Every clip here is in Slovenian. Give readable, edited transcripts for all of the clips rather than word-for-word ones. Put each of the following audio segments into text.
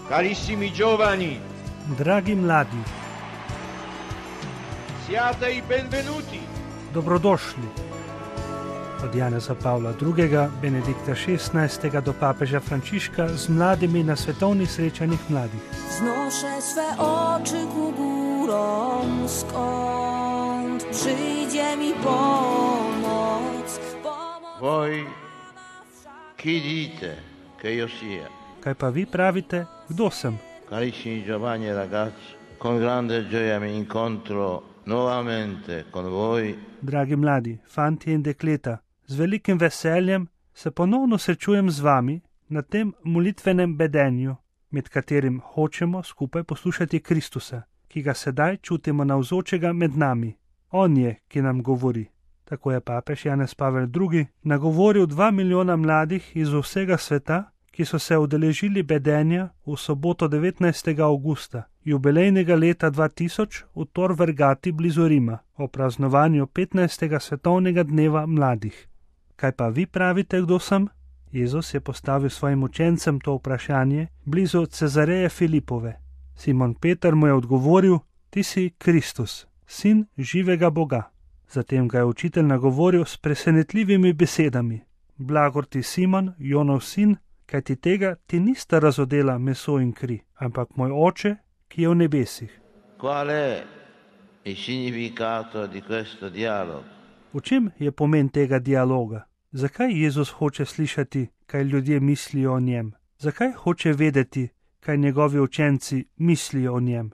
Carissimi giovani, Dragi mladi, siate i benvenuti. dobrodošli. Od Janeza Pavla II., Benedikta XVI. Do papeža Frančiška z mladimi na svetovnih srečanjih mladih. Wznoszę swe oczy ku górom, skąd przyjdzie mi pomoc. Voi chi dite che io sia? Kaj pa vi pravite, kdo sem? Carissimi giovani e ragazzi, con grande gioia mi incontro nuovamente con voi. Dragi mladi, fanti in dekleta, z velikim veseljem se ponovno srečujem z vami na tem molitvenem bedenju, med katerim hočemo skupaj poslušati Kristusa, ki ga sedaj čutimo navzočega med nami. On je, ki nam govori. Tako je papež Janez Pavel II. Nagovoril 2 milijona mladih iz vsega sveta, ki so se udeležili bedenja v soboto 19. avgusta, jubilejnega leta 2000 v Tor Vergati blizu Rima, o praznovanju 15. svetovnega dneva mladih. Kaj pa vi pravite, kdo sem? Jezus je postavil svojim učencem to vprašanje blizu Cezareje Filipove. Simon Peter mu je odgovoril: Ti si Kristus, sin živega Boga. Zatem ga je učitelj nagovoril s presenetljivimi besedami: Blagor ti, Simon, Jonov sin, kajti tega ti nista razodela meso in kri, ampak moj oče, ki je v nebesih. Qual è il significato di questo dialogo? V čem je pomen tega dialoga? Zakaj Jezus hoče slišati, kaj ljudje mislijo o njem? Zakaj hoče vedeti, kaj njegovi učenci mislijo o njem?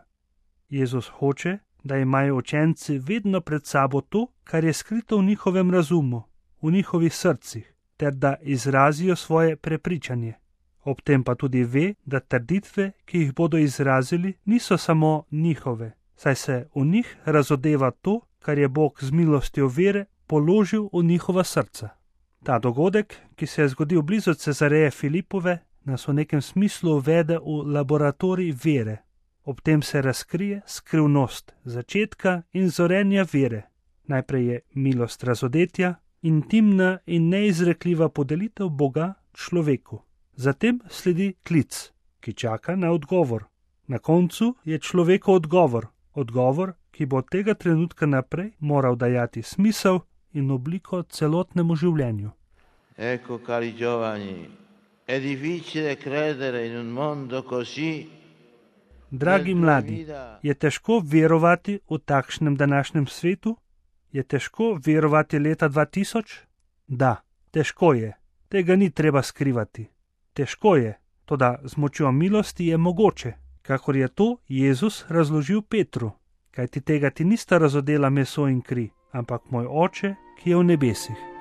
Jezus hoče, da imajo učenci vedno pred sabo to, kar je skrito v njihovem razumu, v njihovih srcih, ter da izrazijo svoje prepričanje. Ob tem pa tudi ve, da trditve, ki jih bodo izrazili, niso samo njihove, saj se v njih razodeva to, kar je Bog z milostjo vere položil v njihova srca. Ta dogodek, ki se je zgodil blizu Cezareje Filipove, nas v nekem smislu uvede v laboratorij vere. Ob tem se razkrije skrivnost začetka in zorenja vere. Najprej je milost razodetja, intimna in neizrekljiva podelitev Boga človeku. Zatem sledi klic, ki čaka na odgovor. Na koncu je človeku odgovor, ki bo od tega trenutka naprej moral dajati smisel in obliko celotnemu življenju. Ecco, cari giovani, è difficile credere in un mondo così. Dragi mladi, je težko verovati v takšnem današnjem svetu? Je težko verovati leta 2000? Da, težko je. Tega ni treba skrivati. Težko je, toda z močjo milosti je mogoče, kakor je to Jezus razložil Petru. Kajti tega ti nista razodela meso in kri, ampak moj oče, ki je v nebesih.